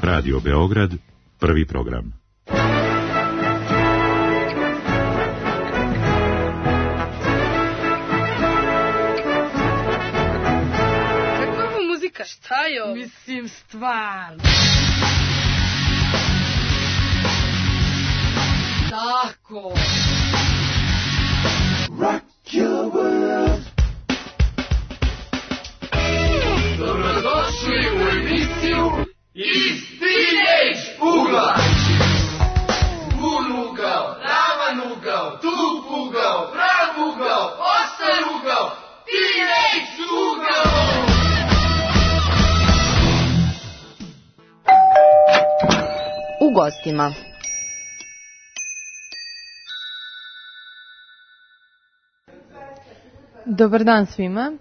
Radio Beograd, prvi program. Kakva muzika? Šta je ovo? Mislim, stvarno. Tako. Rock your world. Dobrodošli u emisiju Iz Teenage ugla. Bun ugao, ravan ugao, tup ugao, prav ugao, ostar ugao, Teenage ugao. U gostima. Dobar dan svima.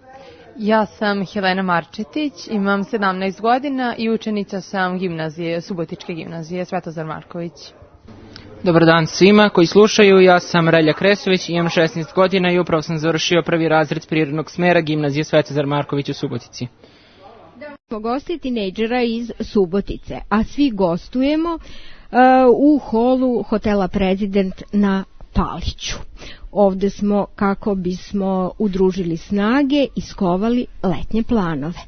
Ja sam Helena Marčetić, imam 17 godina i učenica sam gimnazije, Subotičke gimnazije Svetozar Marković. Dobar dan svima koji slušaju, ja sam Relja Kresović, imam 16 godina i upravo sam završio prvi razred prirodnog smera gimnazije Svetozar Marković u Subotici. Smo gosti tinejdžera iz Subotice, a svi gostujemo u holu hotela Prezident na Paliću. Ovde smo kako bismo udružili snage i iskovali letnje planove.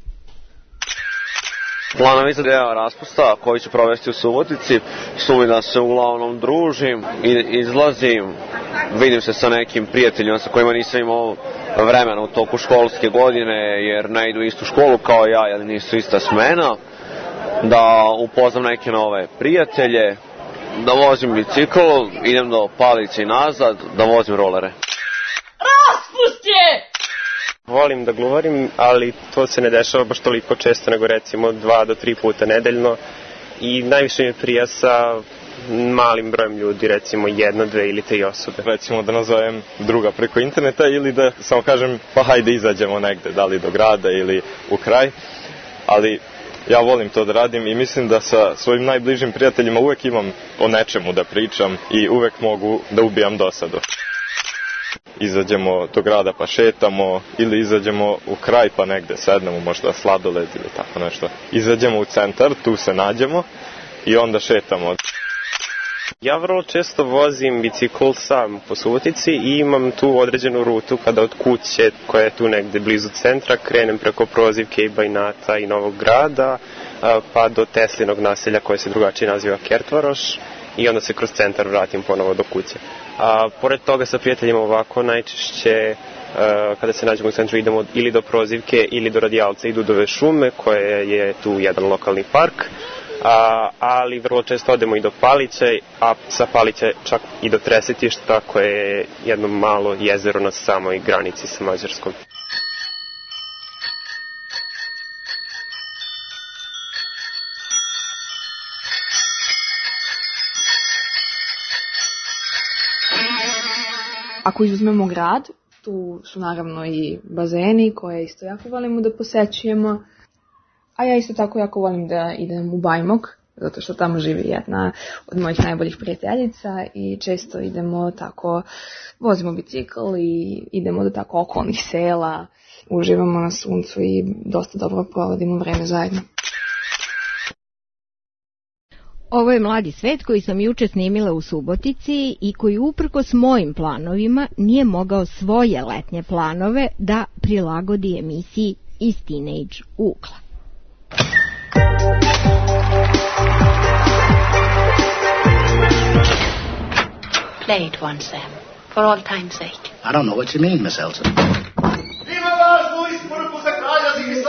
Planovi za deo raspusta koji ću provesti u Subotici su mi da se uglavnom družim i izlazim, vidim se sa nekim prijateljima sa kojima nisam imao vremena u toku školske godine jer ne idu istu školu kao ja ili nisu ista smena, da upoznam neke nove prijatelje, da vozim bicikl, idem do Palice i nazad, da vozim rolere. Raspust je! Volim da gluvarim, ali to se ne dešava baš toliko često, nego recimo 2 do 3 puta nedeljno. I najviše mi prija sa malim brojem ljudi, recimo 1, 2 ili 3 osobe. Recimo da nazovem druga preko interneta ili da samo kažem pa hajde izađemo negde, da li do grada ili u kraj. Ali ja volim to da radim i mislim da sa svojim najbližim prijateljima uvek imam o nečemu da pričam i uvek mogu da ubijam dosadu. Izađemo do grada pa šetamo ili izađemo u kraj pa negde sednemo, možda sladoled ili tako nešto. Izađemo u centar, tu se nađemo i onda šetamo. Ja vrlo često vozim bicikl sam po Subotici i imam tu određenu rutu kada od kuće koja je tu negde blizu centra krenem preko Prozivke i Bajnata i Novog Grada pa do Teslinog naselja koje se drugačije naziva Kertvaroš i onda se kroz centar vratim ponovo do kuće. Pored toga sa prijateljima ovako najčešće kada se nađemo u centru idemo ili do Prozivke ili do Radijalca i Dudove šume koje je tu jedan lokalni park. Ali vrlo često odemo i do Paliće, a sa Paliće čak i do Tresetišta koje je jedno malo jezero na samoj granici sa Mađarskom. Ako izuzmemo grad, tu su naravno i bazeni koje isto jako volimo da posećujemo. A ja isto tako jako volim da idem u Bajmok, zato što tamo živi jedna od mojih najboljih prijateljica i često idemo tako, vozimo bicikl i idemo do tako okolnih sela, uživamo na suncu i dosta dobro provodimo vreme zajedno. Ovo je Mladi svet koji sam juče snimila u Subotici i koji uprkos mojim planovima nije mogao svoje letnje planove da prilagodi emisiji Iz Teenage ugla. Play it once, Sam, for all time's sake. I don't know what you mean, Miss Elsa. Ima važnu isporuku za kralja Zimisa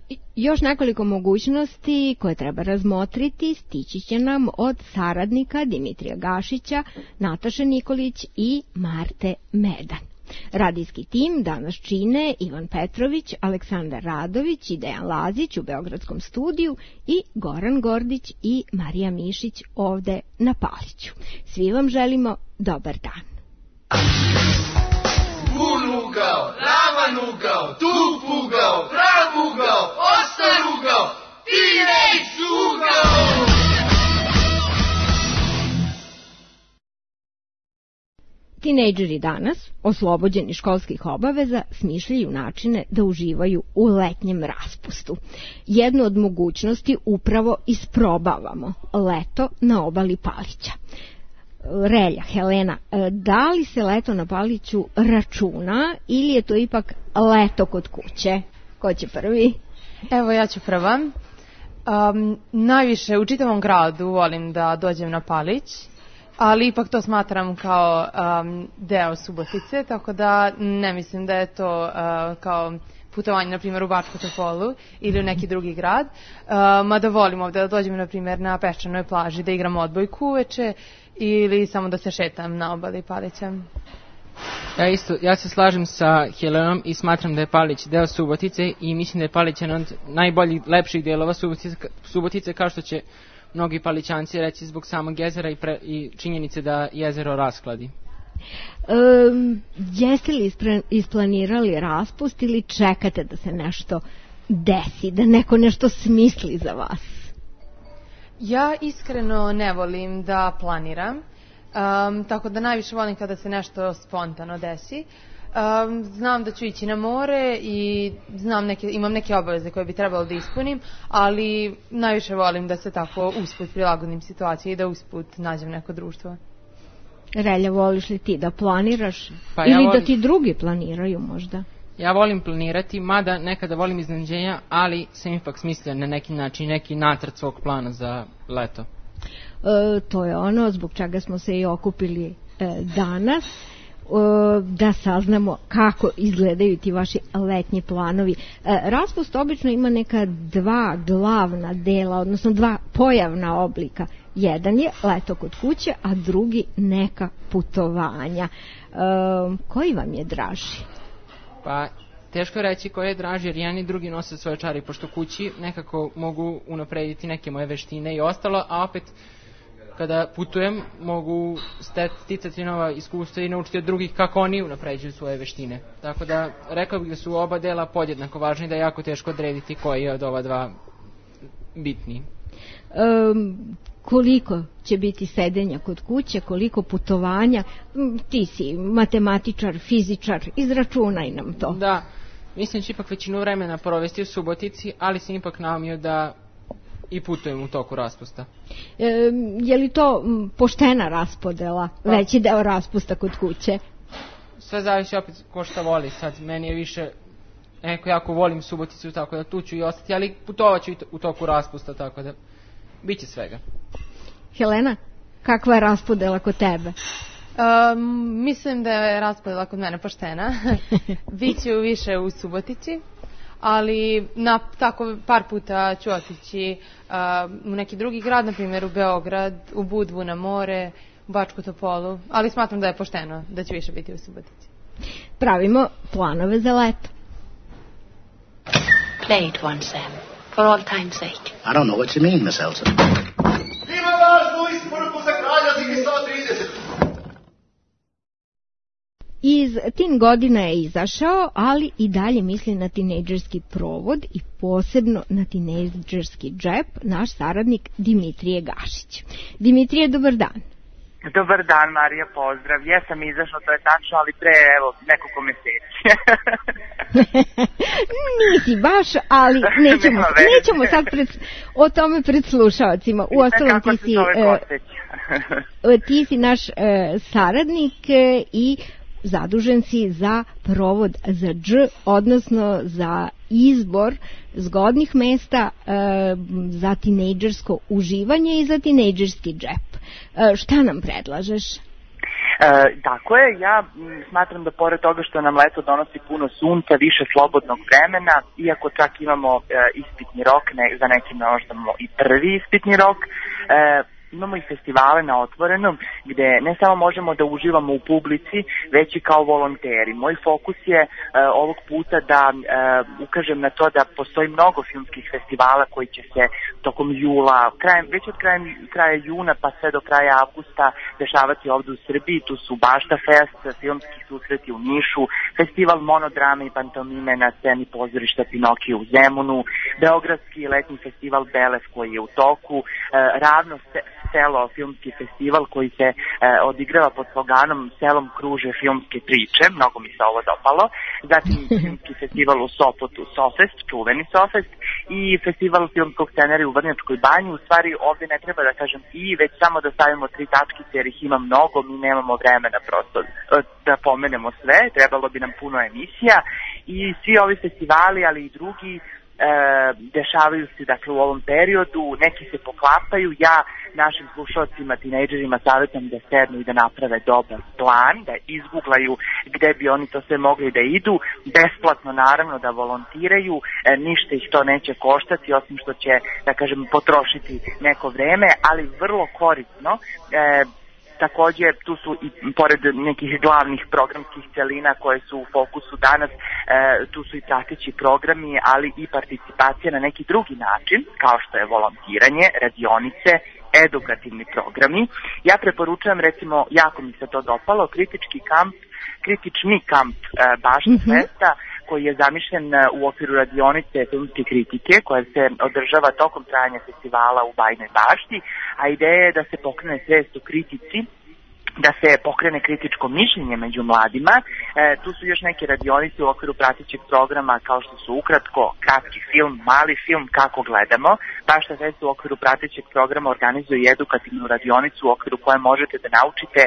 30. Još nekoliko mogućnosti koje treba razmotriti stići će nam od saradnika Dimitrija Gašića, Nataše Nikolić i Marte Medan. Radijski tim danas čine Ivan Petrović, Aleksandar Radović i Dejan Lazić u Beogradskom studiju i Goran Gordić i Marija Mišić ovde na Paliću. Svi vam želimo dobar dan. Bun ugao, ravan ugao, tup ugao, prav ugao, ostar ugao, Teenage ugao. Tinejdžeri danas, oslobođeni školskih obaveza, smišljaju načine da uživaju u letnjem raspustu. Jednu od mogućnosti upravo isprobavamo, leto na obali Palića. Relja, Helena, da li se leto na Paliću računa ili je to ipak leto kod kuće? Ko će prvi? Evo, ja ću prva. Najviše u čitavom gradu volim da dođem na Palić, ali ipak to smatram kao deo Subotice, tako da ne mislim da je to kao putovanje, na primjer, u Bačku Topolu ili u neki drugi grad. Mada volim ovdje da dođem, na primjer, na peščanoj plaži, da igram odbojku uveče ili samo da se šetam na obali Palića. Ja se slažem sa Helenom i smatram da je Palić deo Subotice i mislim da je Palić jedan od najboljih, lepših dijelova Subotice, kao što će mnogi Palićanci reći zbog samog jezera i činjenice da jezero raskladi. Jeste li isplanirali raspust ili čekate da se nešto desi, da neko nešto smisli za vas? Ja iskreno ne volim da planiram, tako da najviše volim kada se nešto spontano desi. Znam da ću ići na more i imam neke obaveze koje bi trebalo da ispunim, ali najviše volim da se tako usput prilagodim situaciji i da usput nađem neko društvo. Relja, voliš li ti da planiraš ili da ti drugi planiraju možda? Ja volim planirati, mada nekada volim iznenađenja, ali sam ipak smislio na neki način, neki nacrt svog plana za leto. To je ono zbog čega smo se i okupili danas, da saznamo kako izgledaju ti vaši letnji planovi. Raspust obično ima neka dva glavna dela, odnosno dva pojavna oblika. Jedan je leto kod kuće, a drugi neka putovanja. Koji vam je draži? Pa, teško je reći koji je draži, jer jedan i drugi nose svoje čari, pošto kući nekako mogu unaprediti neke moje veštine i ostalo, a opet kada putujem mogu sticati nova iskustva i naučiti od drugih kako oni unapređuju svoje veštine. Tako da rekao bih da su oba dela podjednako važni, da je jako teško odrediti koji je od ova dva bitniji. Koliko će biti sedenja kod kuće, koliko putovanja? Ti si matematičar, fizičar, izračunaj nam to. Da, mislim će ipak većinu vremena provesti u Subotici, ali sam ipak naumio da i putujem u toku raspusta. Je li to poštena raspodela, veći deo raspusta kod kuće? Sve zavisi opet ko šta voli. Sad meni je više, jako volim Suboticu, tako da tu ću i ostati, ali putovat ću u toku raspusta, tako da bit će svega. Helena, kakva je raspodela kod tebe? Mislim da je raspodela kod mene poštena. Biću više u Subotici, ali tako par puta ću otići u neki drugi grad, na primjer u Beograd, u Budvu na more, u Bačku Topolu, ali smatram da je pošteno da ću više biti u Subotici. Pravimo planove za leto. Play it once, Sam, for all time's sake. I don't know what you mean, Miss Elsa. Ima važnu isporuku za kralja Zigi 130. Iz Teen godina je izašao, ali i dalje misli na tinejdžerski provod i posebno na tinejdžerski džep, naš saradnik Dimitrije Gašić. Dimitrije, dobar dan. Dobar dan, Marija, pozdrav. Jesam izašao, to je tačno, ali pre, nekoliko meseci. Nisi baš, ali nećemo sad o tome pred slušalcima. Uostalom ti si naš saradnik i zadužen si za provod za dž, odnosno za izbor zgodnih mesta za tinejdžersko uživanje i za tinejdžerski džep. Šta nam predlažeš? Tako je, ja smatram da pored toga što nam leto donosi puno sunca, više slobodnog vremena, iako čak imamo ispitni rok, za neki možda i prvi ispitni rok, imamo i festivale na otvorenom gde ne samo možemo da uživamo u publici, već i kao volonteri. Moj fokus je ovog puta da ukažem na to da postoji mnogo filmskih festivala koji će se tokom jula, već od kraja juna pa sve do kraja avgusta dešavati ovdje u Srbiji. Tu su Bašta Fest, filmski susreti u Nišu, festival monodrame i pantomime na sceni pozorišta Pinokio u Zemunu, beogradski letnji festival Belev koji je u toku, Ravno Selo filmski festival koji se odigrava pod sloganom Selom kruže filmske priče, mnogo mi se ovo dopalo, zatim filmski festival u Sopotu, Sofest, čuveni Sofest, i festival filmskog scenarija u Vrnjačkoj banji. U stvari ovde ne treba da kažem već samo da stavimo 3 tačkice jer ih ima mnogo, mi nemamo vremena prosto da pomenemo sve, trebalo bi nam puno emisija i svi ovi festivali, ali i drugi dešavaju se dakle u ovom periodu, neki se poklapaju. Ja našim slušalcima, tinejdžerima savjetam da sednu i da naprave dobar plan, da izguglaju gde bi oni to sve mogli da idu, besplatno naravno da volontiraju, ništa ih to neće koštati osim što će, da kažem, potrošiti neko vreme, ali vrlo korisno. Takođe, tu su i pored nekih glavnih programskih celina koje su u fokusu danas, tu su i prateći programi, ali i participacija na neki drugi način, kao što je volontiranje, radionice, edukativni programi. Ja preporučujem, recimo, jako mi se to dopalo, kritični kamp Bašta Festa, koji je zamišljen u okviru radionice filmske kritike, koja se održava tokom trajanja festivala u Bajnoj Bašti, a ideja je da se pokrene svest o kritici, da se pokrene kritičko mišljenje među mladima. Tu su još neke radionice u okviru pratećeg programa kao što su ukratko, kratki film, mali film, kako gledamo. Bašta Fest u okviru pratećeg programa organizuje i edukativnu radionicu u okviru koje možete da naučite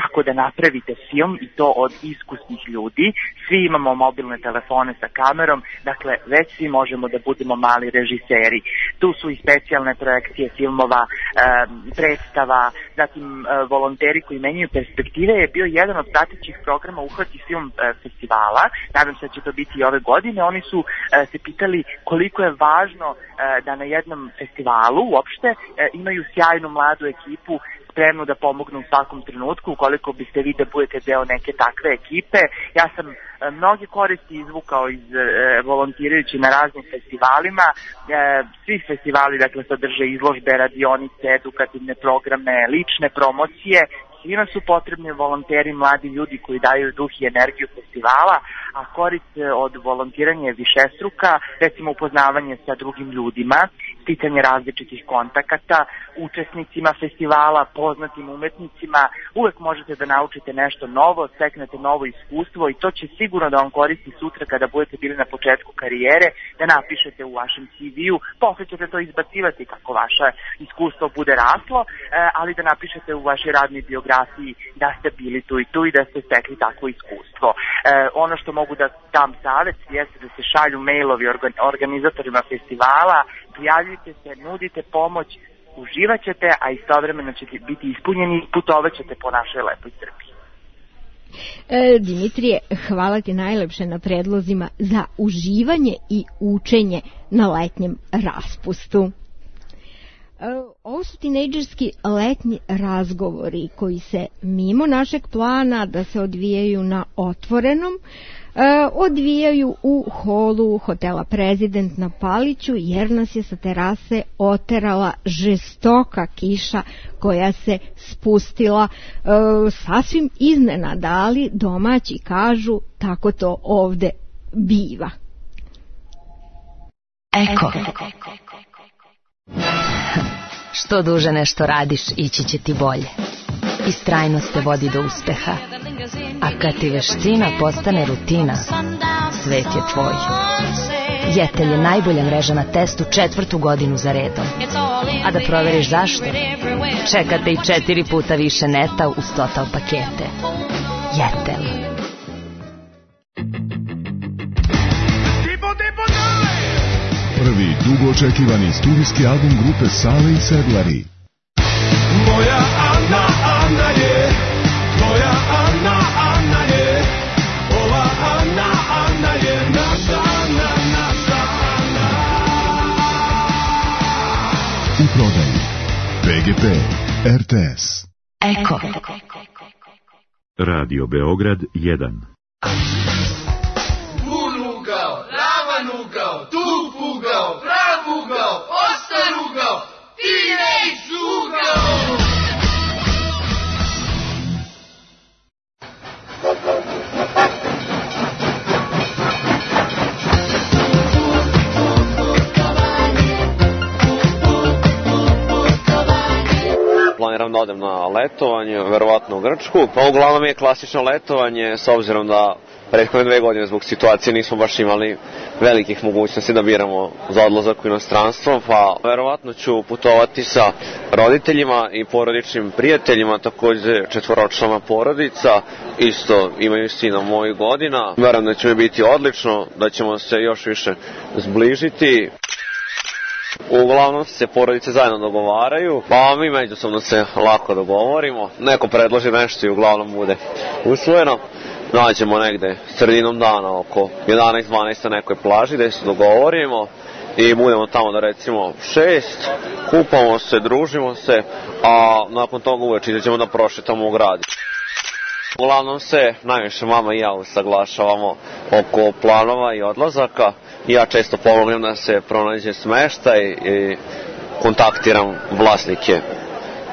kako da napravite film i to od iskusnih ljudi. Svi imamo mobilne telefone sa kamerom, dakle već svi možemo da budemo mali režiseri. Tu su i specijalne projekcije filmova, predstava, zatim volonteri koji menjaju perspektive je bio jedan od pratećih programa Uhvati film festivala. Nadam se da će to biti i ove godine. Oni su se pitali koliko je važno da na jednom festivalu uopšte imaju sjajnu mladu ekipu spremnu da pomognu u svakom trenutku, ukoliko biste vi da budete deo neke takve ekipe. Ja sam mnoge koristi izvukao iz volontirajući na raznim festivalima. Svi festivali dakle sadrže izložbe, radionice, edukativne programe, lične promocije. Svima su potrebni volonteri, mladi ljudi koji daju duh i energiju festivala, a korist od volontiranja je višestruka, recimo upoznavanje sa drugim ljudima, sticanje različitih kontakata, učesnicima festivala, poznatim umetnicima, uvek možete da naučite nešto novo, steknete novo iskustvo i to će sigurno da vam koristi sutra kada budete bili na početku karijere, da napišete u vašem CV-u, posle ćete to izbacivati kako vaše iskustvo bude raslo, ali da napišete u vašoj radnoj biografiji da ste bili tu i tu i da ste stekli takvo iskustvo. Ono što mogu da dam savjet jeste da se šalju mailovi organizatorima festivala, prijavljujte se, nudite pomoć, uživat ćete, a istovremeno ćete biti ispunjeni i putovat ćete po našoj lepoj Srbiji. Dimitrije, hvala ti najlepše na predlozima za uživanje i učenje na letnjem raspustu. Ovo su tinejdžerski letnji razgovori koji se mimo našeg plana da se odvijaju na otvorenom, odvijaju u holu hotela Prezident na Paliću, jer nas je sa terase oterala žestoka kiša koja se spustila sasvim iznenada, ali domaći kažu tako to ovde biva. Eko. Što duže nešto radiš, ići će ti bolje. Istrajnost te vodi do uspeha. A kad ti veština postane rutina, svet je tvoj. Jetel je najbolja mreža na testu 4. godinu za redom. A da proveriš zašto, čekate i 4 puta više neta uz Total pakete. Jetel. Prvi dugo očekivani studijski album grupe Sale i Sedlari. Moja Ana, Ana je, moja Ana, Ana je, ova Ana, Ana je naša Ana, naša Ana. U prodaji PGP, RTS. Eko. Radio Beograd 1. Ugao, ravan ugao, tup ugao, prav ugao, ostar ugao, teenage ugao. planiram da odem na letovanje, verovatno u Grčku. Pa uglavnom je klasično letovanje, s obzirom da prethodne 2 godine zbog situacije nismo baš imali velikih mogućnosti da biramo za odlazak u inostranstvo, pa verovatno ću putovati sa roditeljima i porodičnim prijateljima, takođe 4-člana porodica, isto imaju sina mojih godina. Verujem da će mi biti odlično, da ćemo se još više zbližiti. Uglavnom se porodice zajedno dogovaraju, pa mi međusobno se lako dogovorimo. Neko predloži nešto i uglavnom bude usvojeno. Nađemo negde sredinom dana oko 11-12 na nekoj plaži gde se dogovorimo i budemo tamo da recimo 6, kupamo se, družimo se, a nakon toga uveče izađemo da prošetamo u grad. Uglavnom se najviše mama i ja usaglašavamo oko planova i odlazaka. Ja često pomognem da se pronađe smeštaj i kontaktiram vlasnike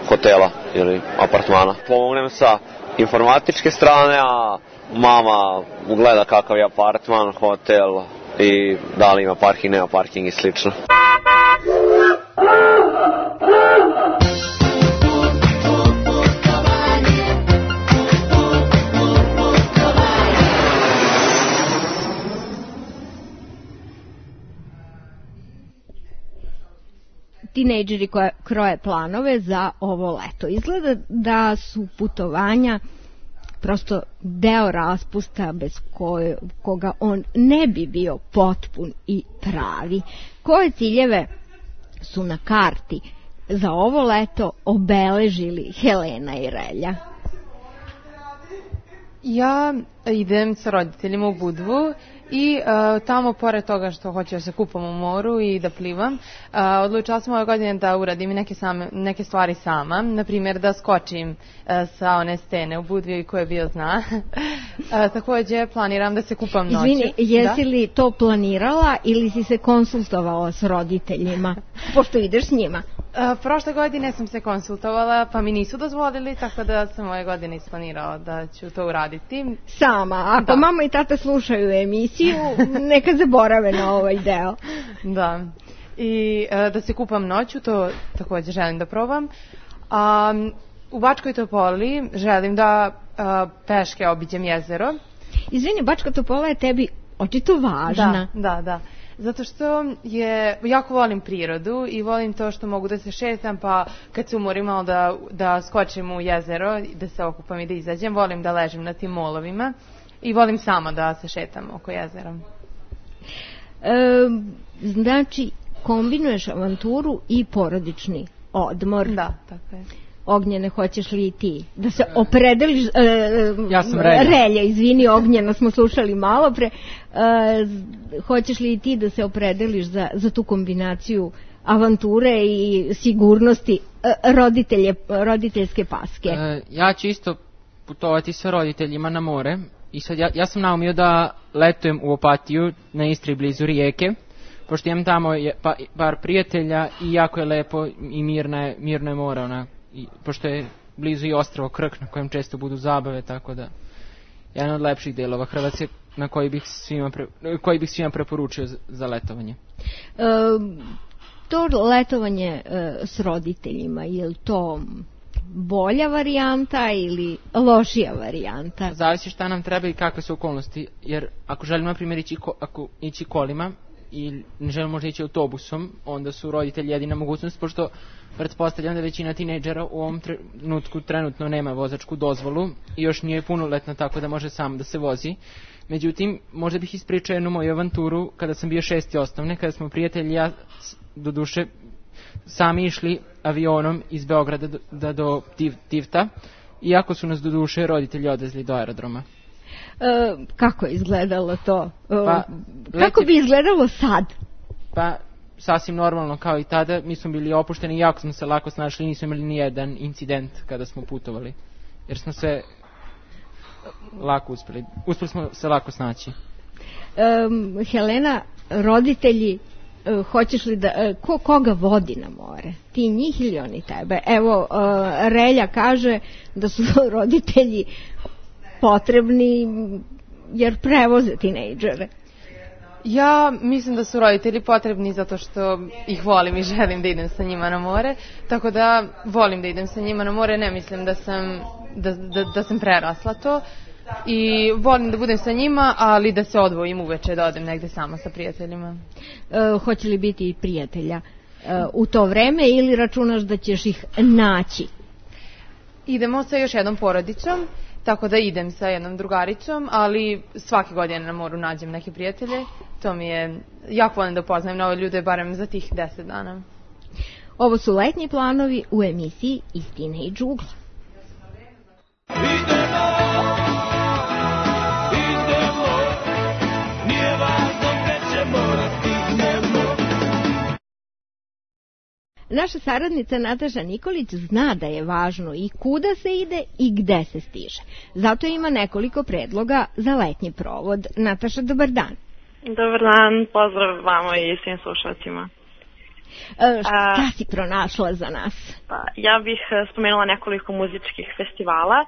hotela ili apartmana. Pomognem sa informatičke strane, a mama ugleda kakav je apartman, hotel i da li ima parking, nema parking i slično. Tinejdžeri kroje planove za ovo leto. Izgleda da su putovanja prosto deo raspusta bez koga on ne bi bio potpun i pravi. Koje ciljeve su na karti za ovo leto obeležili Helena i Relja? Ja idem sa roditeljima u Budvu i tamo, pored toga što hoću da se kupam u moru i da plivam, odlučila sam ove godine da uradim neke stvari sama, na primjer da skočim sa one stene u Budvi koje bio zna. Takođe planiram da se kupam noću. Izvini, jesi li to planirala ili si se konsultovala s roditeljima, pošto ideš s njima? Prošle godine sam se konsultovala, pa mi nisu dozvolili, tako da sam ove godine isplanirala da ću to uraditi. Sama, ako mama i tata slušaju emisiju, neka zaborave na ovaj deo. Da, i da se kupam noću, to također želim da probam. U Bačkoj Topoli želim da peške obiđem jezero. Izvini, Bačka Topola je tebi očito važna. Da. Zato što jako volim prirodu i volim to što mogu da se šetam, pa kad se umorim malo da skočim u jezero, da se okupam i da izađem, volim da ležim na tim molovima i volim sama da se šetam oko jezera. Znači, kombinuješ avanturu i porodični odmor. Da, tako je. Ognjene, hoćeš li i ti da se opredeliš? Ja sam Relja. Izvini, Ognjena smo slušali malo pre. Hoćeš li i ti da se opredeliš za tu kombinaciju avanture i sigurnosti roditeljske paske? Ja ću isto putovati sa roditeljima na more i sad ja sam naumio da letujem u Opatiju na Istri blizu Rijeke, pošto imam tamo par prijatelja i jako je lepo i mirno je more, pošto je blizu i ostrvo Krk na kojem često budu zabave, tako da jedan od lepših delova Hrvatske na koji bih svima preporučio za letovanje. To letovanje s roditeljima, je li to bolja varijanta ili lošija varijanta? Zavisi šta nam treba i kakve su okolnosti, jer ako želimo na primjer ići kolima i ne želimo možda ići autobusom, onda su roditelji jedina mogućnost, pošto pretpostavljam da većina tinejdžera u ovom trenutku trenutno nema vozačku dozvolu i još nije punoletna, tako da može sam da se vozi. Međutim, možda bih ispričao jednu moju avanturu kada sam bio 6. osnovne, kada smo prijatelji ja doduše sami išli avionom iz Beograda do Tivta, iako su nas doduše roditelji odvezli do aerodroma. Kako je izgledalo to? Kako bi izgledalo sad? Pa, sasvim normalno kao i tada, mi smo bili opušteni i jako smo se lako snašli, nismo imali ni jedan incident kada smo putovali, jer smo se lako uspeli smo se lako snaći. Helena, roditelji, hoćeš li da, koga vodi na more? Ti njih ili oni tebe? Evo, Relja kaže da su roditelji potrebni jer prevoze tinejdžere. Ja mislim da su roditelji potrebni zato što ih volim i želim da idem sa njima na more, tako da volim da idem sa njima na more, ne mislim da sam prerasla to i volim da budem sa njima, ali da se odvojim uveče da odem negde sama sa prijateljima. Hoće li biti prijatelja u to vreme ili računaš da ćeš ih naći? Idemo sa još jednom porodicom, tako da idem sa jednom drugaricom, ali svake godine na moru nađem neke prijatelje. To mi je, jako volim da upoznajem nove ljude, barem za tih 10 dana. Ovo su letnji planovi u emisiji Iz Teenage ugla. Naša saradnica Nataša Nikolić zna da je važno i kuda se ide i gde se stiže. Zato ima nekoliko predloga za letnji provod. Nataša, dobar dan. Dobar dan, pozdrav vama i svim slušalcima. Šta si pronašla za nas? Pa, ja bih spomenula nekoliko muzičkih festivala.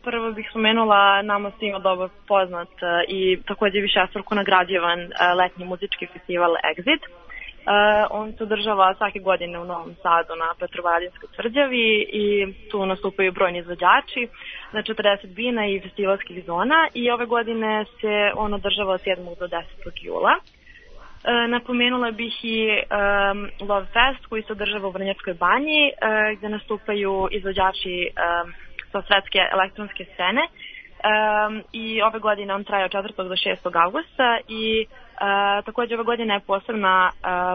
Prvo bih spomenula nama svima dobro poznat i također višestruko nagrađivan letnji muzički festival Exit. On se održava svake godine u Novom Sadu na Petrovaradinskoj tvrđavi i tu nastupaju brojni izvođači na 40 bina i festivalskih zona i ove godine se on održava od 7. do 10. jula. Napomenula bih i Love Fest koji se održava u Vrnjačkoj banji gdje nastupaju izvođači sa svetske elektronske scene i ove godine on traje od 4. do 6. augusta i također ove godine je posebna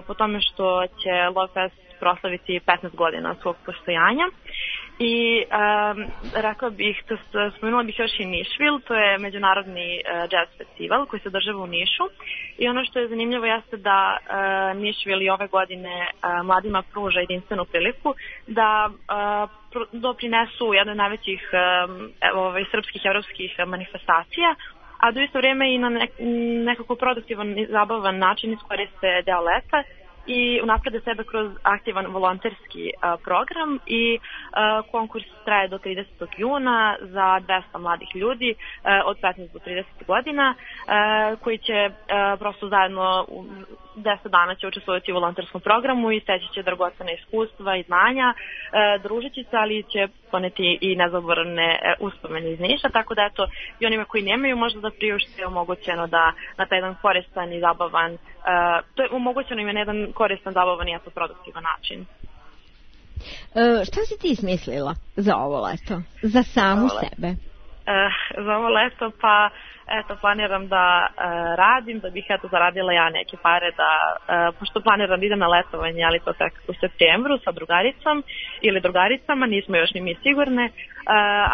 po tome što će Love Fest proslaviti 15 godina svog postojanja i rekla bih, spomenula bih još i Nišvil, to je međunarodni jazz festival koji se održava u Nišu i ono što je zanimljivo jeste da Nišvil i ove godine mladima pruža jedinstvenu priliku da doprinesu jednoj od najvećih srpskih i evropskih manifestacija, a do isto vrijeme i na nekako produktivan i zabavan način iskoriste deo leta i unaprede sebe kroz aktivan volonterski program i konkurs traje do 30. juna za 200 mladih ljudi od 15 do 30 godina koji će prosto zajedno 10 dana će učestvovati u volonterskom programu i steći će dragocena iskustva i znanja, družeći se, ali će poneti i nezaboravne uspomene iz Niša, tako da eto i onima koji nemaju možda da priušte je omogućeno da na taj jedan koristan i zabavan, to je omogućeno im je na jedan koristan, zabavan i produktivan način. Šta si ti smislila za ovo leto? Za samu sebe? Za ovo leto pa eto planiram da radim, da bih eto zaradila ja neke pare da, pošto planiram da idem na letovanje, ali to tek u septembru sa drugaricom ili drugaricama, nismo još ni mi sigurne,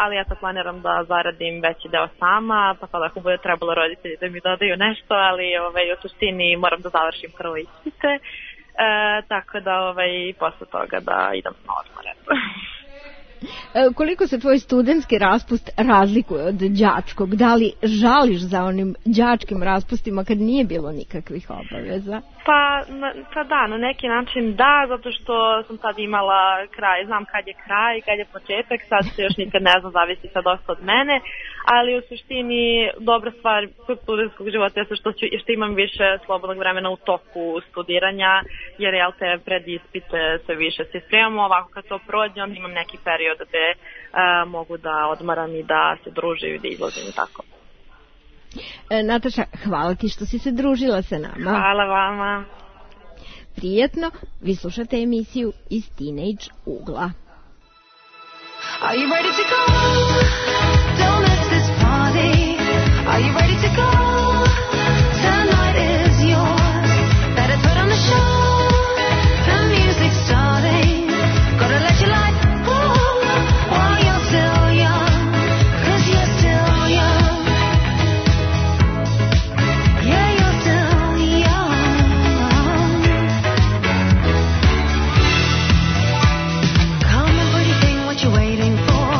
ali eto planiram da zaradim veći deo sama, pa sad ako bude trebalo roditelji da mi dodaju nešto, ali u suštini moram da završim prvo ispite, tako da posle toga da idem na odmor. Koliko se tvoj studentski raspust razlikuje od đačkog? Da li žališ za onim đačkim raspustima kad nije bilo nikakvih obaveza? Pa da, na neki način da, zato što sam sad imala kraj, znam kad je kraj, kad je početak, sad se još nikad ne znam, zavisi sad dosta od mene, ali u suštini dobra stvar kod studentskog života je što imam više slobodnog vremena u toku studiranja, jer pred ispite sve više se spremamo, ovako kad to prođe, onda imam neki period gde mogu da odmaram i da se družim i da izlazim i tako. Nataša, hvala ti što si se družila sa nama. Hvala vama. Prijetno, vi slušate emisiju Iz Teenage ugla. Are you ready to go? Don't miss this party. Are you ready to go? Tonight is yours. Better put on the show. The music's starting. Gotta let your light go while you're still young. 'Cause you're still young. Yeah, you're still young. Come on, pretty thing, what you waiting for?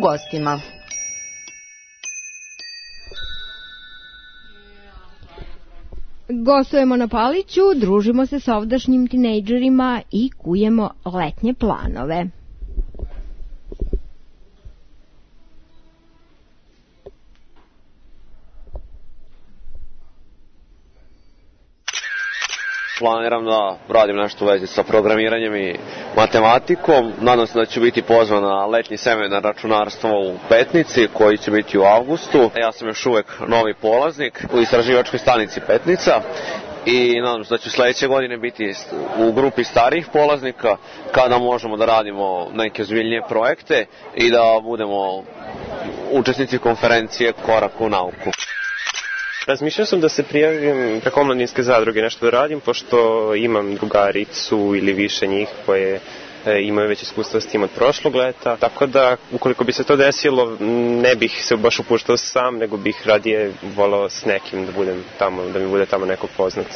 Gostima. Gostujemo na Paliću, družimo se sa ovdašnjim tinejdžerima i kujemo letnje planove. Planiram da radim nešto u vezi sa programiranjem i matematikom. Nadam se da ću biti pozvan na letnji seminar računarstva u Petnici, koji će biti u avgustu. Ja sam još uvek novi polaznik u istraživačkoj stanici Petnica i nadam se da ću sledeće godine biti u grupi starijih polaznika, kada možemo da radimo neke ozbiljnije projekte i da budemo učesnici konferencije Korak u nauku. Razmišljao sam da se prijavim preko omladinske zadruge nešto da radim, pošto imam drugaricu ili više njih koje imaju već iskustva s tim od prošlog leta, tako da ukoliko bi se to desilo ne bih se baš upuštao sam, nego bih radije volao s nekim da budem tamo, da mi bude tamo neko poznat.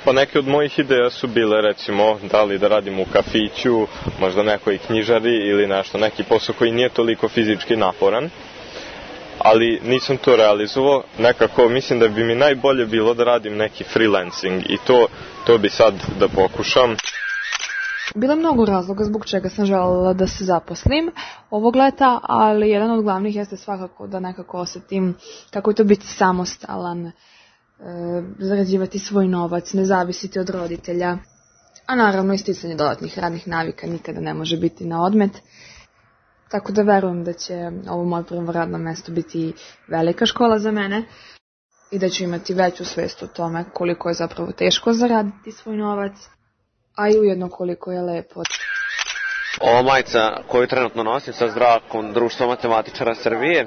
Pa neke od mojih ideja su bile, recimo, da li da radim u kafiću, možda nekoj knjižari ili nešto, neki posao koji nije toliko fizički naporan. Ali nisam to realizovao, nekako mislim da bi mi najbolje bilo da radim neki freelancing i to bi sad da pokušam. Bilo je mnogo razloga zbog čega sam željela da se zaposlim ovog leta, ali jedan od glavnih jeste svakako da nekako osetim kako je to biti samostalan, zarađivati svoj novac, ne zavisiti od roditelja, a naravno isticanje dodatnih radnih navika nikada ne može biti na odmet. Tako da verujem da će ovo moje prvo radno mesto biti velika škola za mene i da ću imati veću svest o tome koliko je zapravo teško zaraditi svoj novac, a i ujedno koliko je lepo. Ova majica koju trenutno nosim sa Zdravkom, Društvo matematičara Srbije,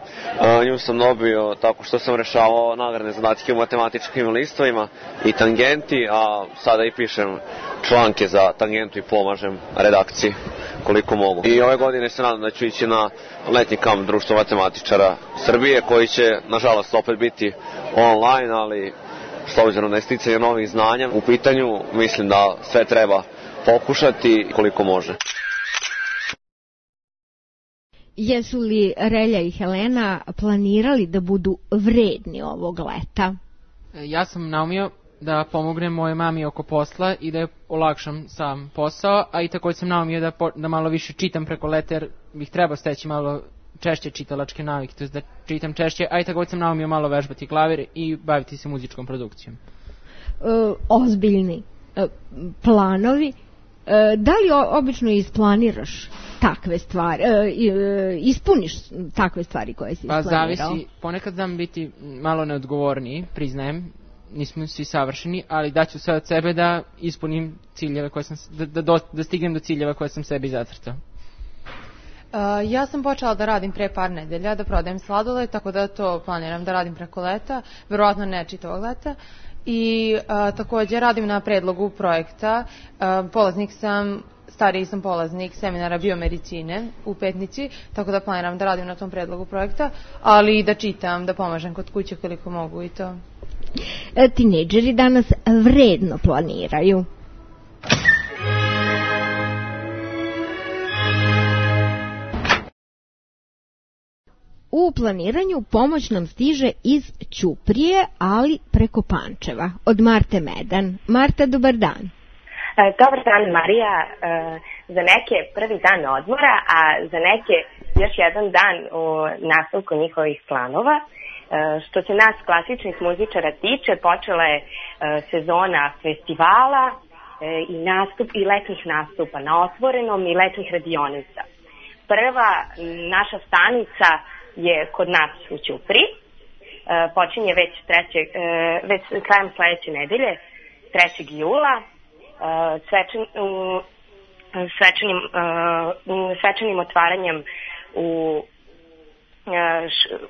nju sam dobio tako što sam rešavao nagradne zadatke u matematičkim listovima i tangenti, a sada i pišem članke za tangentu i pomažem redakciji koliko mogu. I ove godine se nadam da ću ići na letnji kamp Društva matematičara Srbije, koji će nažalost opet biti online, ali s obzirom na isticanje novih znanja u pitanju, mislim da sve treba pokušati koliko može. Jesu li Relja i Helena planirali da budu vredni ovog leta? Ja sam naumio da pomognem moje mami oko posla i da je olakšam sam posao, a i također sam naumio da malo više čitam preko leta, jer bih trebao steći malo češće čitalačke navike, to je da čitam češće, a i također sam naumio malo vežbati klavir i baviti se muzičkom produkcijom. Ozbiljni planovi. Da li obično isplaniraš takve stvari, ispuniš takve stvari koje si isplanirao? Pa zavisi, ponekad znam biti malo neodgovorniji, priznajem, nismo svi savršeni, ali daću sve od sebe da ispunim ciljeve koje sam, da stignem do ciljeva koje sam sebi zacrtao. Ja sam počela da radim pre par nedelja, da prodajem sladoled, tako da to planiram da radim preko leta, verovatno ne čitavog leta. I također radim na predlogu projekta, polaznik sam, stariji sam polaznik seminara biomedicine u Petnici, tako da planiram da radim na tom predlogu projekta, ali i da čitam, da pomažem kod kuće koliko mogu i to. Tinejdžeri danas vredno planiraju. U planiranju pomoć nam stiže iz Ćuprije, ali preko Pančeva, od Marte Medan. Marta, dobar dan. Dobar dan, Marija. Za neke prvi dan odmora, a za neke još jedan dan u nastavku njihovih planova. Što se nas klasičnih muzičara tiče, počela je sezona festivala, i letnjih nastupa na otvorenom i letnjih radionica. Prva naša stanica je kod nas u Ćupriji. Počinje već krajem sledeće nedelje, 3. jula, svečanim otvaranjem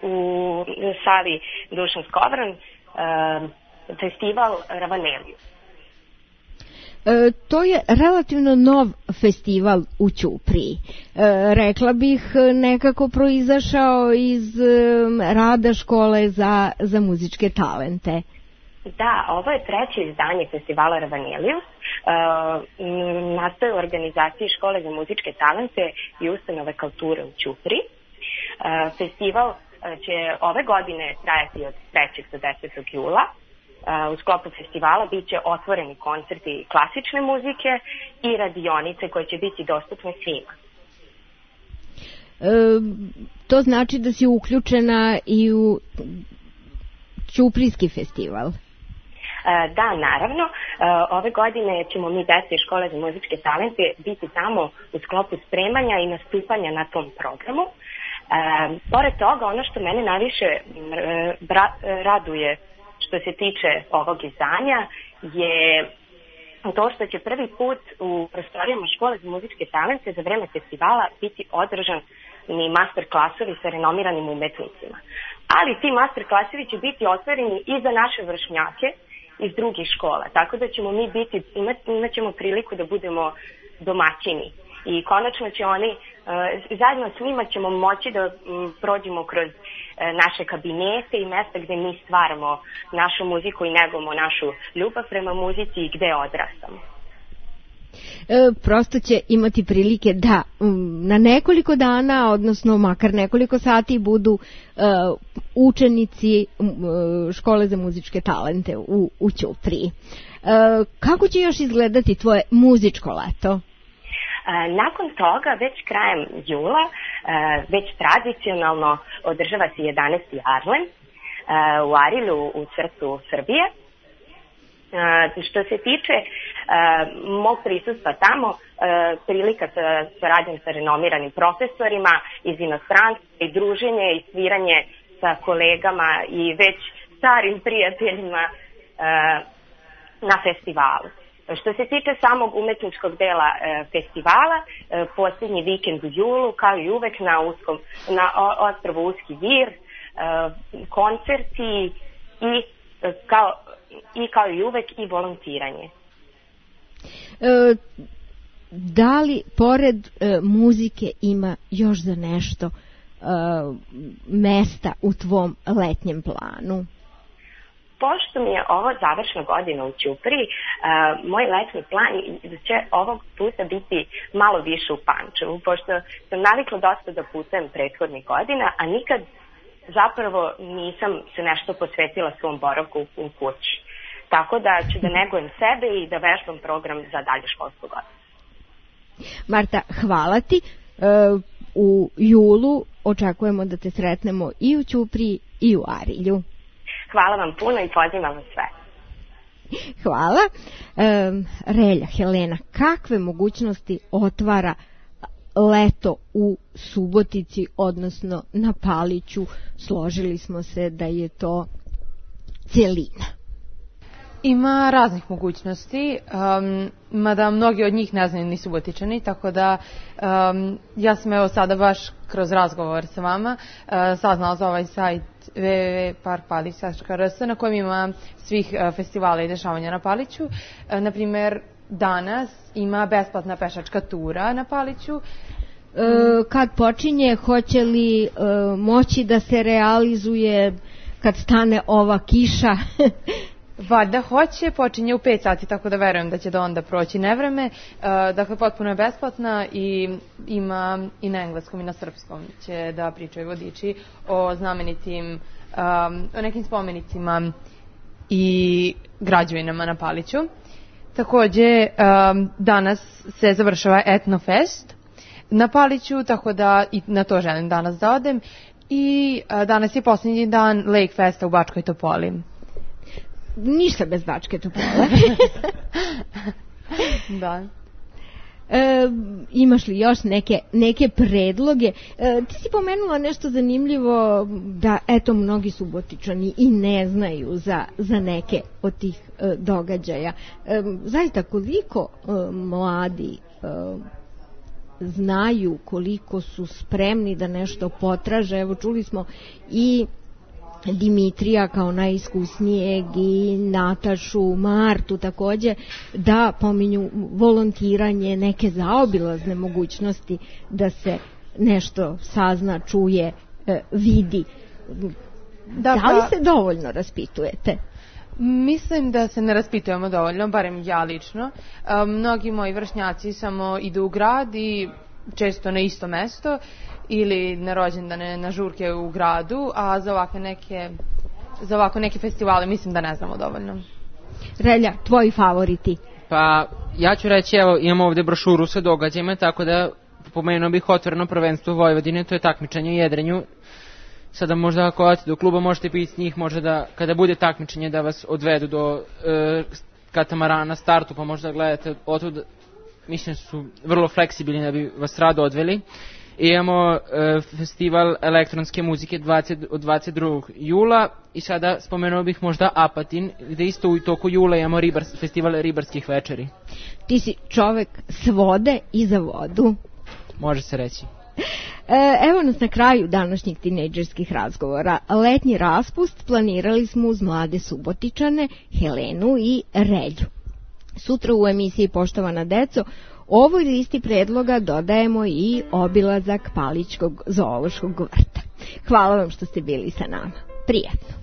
u sali Dušan Skovran, festival Ravanelius. To je relativno nov festival u Ćupriji. Rekla bih nekako proizašao iz rada škole za muzičke talente. Da, ovo je 3. izdanje festivala Ravanelius. Nastaje u organizaciji škole za muzičke talente i ustanove kulture u Ćupriji. Festival će ove godine trajati od 3. do 10. jula. U sklopu festivala bit će otvoreni koncerti klasične muzike i radionice koje će biti dostupne svima. To znači da si uključena i u Ćuprijski festival? Da, naravno. Ove godine ćemo mi deci škole za muzičke talente biti tamo u sklopu spremanja i nastupanja na tom programu. Pored toga, ono što mene najviše raduje što se tiče ovog izdanja je to što će prvi put u prostorijama škole za muzičke talente za vreme festivala biti održan ni master klasovi sa renomiranim umetnicima. Ali ti master klasovi će biti otvoreni i za naše vršnjake iz drugih škola, tako da ćemo mi imat ćemo priliku da budemo domaćini. I konačno će oni, zajedno s njima ćemo moći da prođemo kroz naše kabinete i mesta gde mi stvaramo našu muziku i negujemo našu ljubav prema muzici i gde odrastamo. Prosto će imati prilike da na nekoliko dana, odnosno makar nekoliko sati budu učenici škole za muzičke talente u Ćupriji. Kako će još izgledati tvoje muzičko leto? Nakon toga, već krajem jula, već tradicionalno održava se 11. Arlen u Arilju u srcu Srbije. Što se tiče mog prisustva tamo, prilika sa radim sa renomiranim profesorima iz inostranstva i druženje i sviranje sa kolegama i već starim prijateljima na festivalu. Što se tiče samog umetničkog dela festivala, posljednji vikend u julu, kao i uvek na ostrvu Uski Vir, koncerti i kao i uvek i volontiranje. Da li pored muzike ima još za nešto mesta u tvom letnjem planu? Pošto mi je ovo završna godina u Ćupriji, moj letnji plan će ovog puta biti malo više u Pančevu, pošto sam navikla dosta da putujem prethodnih godina, a nikad zapravo nisam se nešto posvetila svom boravku u kući. Tako da ću da negujem sebe i da vežbam program za dalje školsku godinu. Marta, hvala ti. U julu očekujemo da te sretnemo i u Ćupriji i u Arilju. Hvala vam puno i pozivam vas sve. Hvala. Relja, Helena, kakve mogućnosti otvara leto u Subotici, odnosno na Paliću? Složili smo se da je to celina. Ima raznih mogućnosti, mada mnogi od njih ne znaju ni Subotičani, tako da ja sam evo sada baš kroz razgovor sa vama saznala za ovaj sajt www.parpalić.rs na kojem ima svih festivala i dešavanja na Paliću. Naprimjer, danas ima besplatna pešačka tura na Paliću. Kad počinje, hoće li moći da se realizuje kad stane ova kiša? Valjda hoće, počinje u 5 sati, tako da verujem da će do onda proći nevreme. Dakle, potpuno je besplatna i ima i na engleskom i na srpskom će da pričaju vodiči o znamenitim, o nekim spomenicima i građevinama na Paliću. Takođe, danas se završava Etnofest na Paliću, tako da i na to želim danas da odem. I danas je posljednji dan Lake Festa u Bačkoj Topoli. Ništa bez Bačke Topole. Da. Imaš li još neke predloge? Ti si pomenula nešto zanimljivo, da eto mnogi Subotičani i ne znaju za neke od tih događaja. Zaista koliko mladi znaju, koliko su spremni da nešto potraže. Evo čuli smo i Dimitrija kao najiskusnijeg i Natašu, Martu takođe, da pominju volontiranje, neke zaobilazne mogućnosti da se nešto sazna, čuje, vidi. Da li se dovoljno raspitujete? Mislim da se ne raspitujemo dovoljno, barem ja lično. Mnogi moji vršnjaci samo idu u grad i često na isto mesto ili na rođendane, na žurke u gradu, a za ovako neke festivale mislim da ne znamo dovoljno. Relja, tvoji favoriti? Pa ja ću reći, evo imamo ovde brošuru sa događajima, tako da pomenuo bih otvoreno prvenstvo Vojvodine, to je takmičenje u jedrenju. Sada možda ako odete do kluba možete biti s njih, možda da kada bude takmičenje da vas odvedu do katamarana na startu, pa možda gledate otud. Mislim su vrlo fleksibilni da bi vas rado odveli. I imamo festival elektronske muzike od 22. jula i sada spomenuo bih možda Apatin, gde isto u toku jula imamo festival ribarskih večeri. Ti si čovek s vode i za vodu. Može se reći. Evo nas na kraju današnjih tinejdžerskih razgovora. Letnji raspust planirali smo uz mlade Subotičane, Helenu i Relju. Sutra u emisiji Poštovana deco ovoj listi predloga dodajemo i obilazak Palićkog zoološkog vrta. Hvala vam što ste bili sa nama. Prijatno.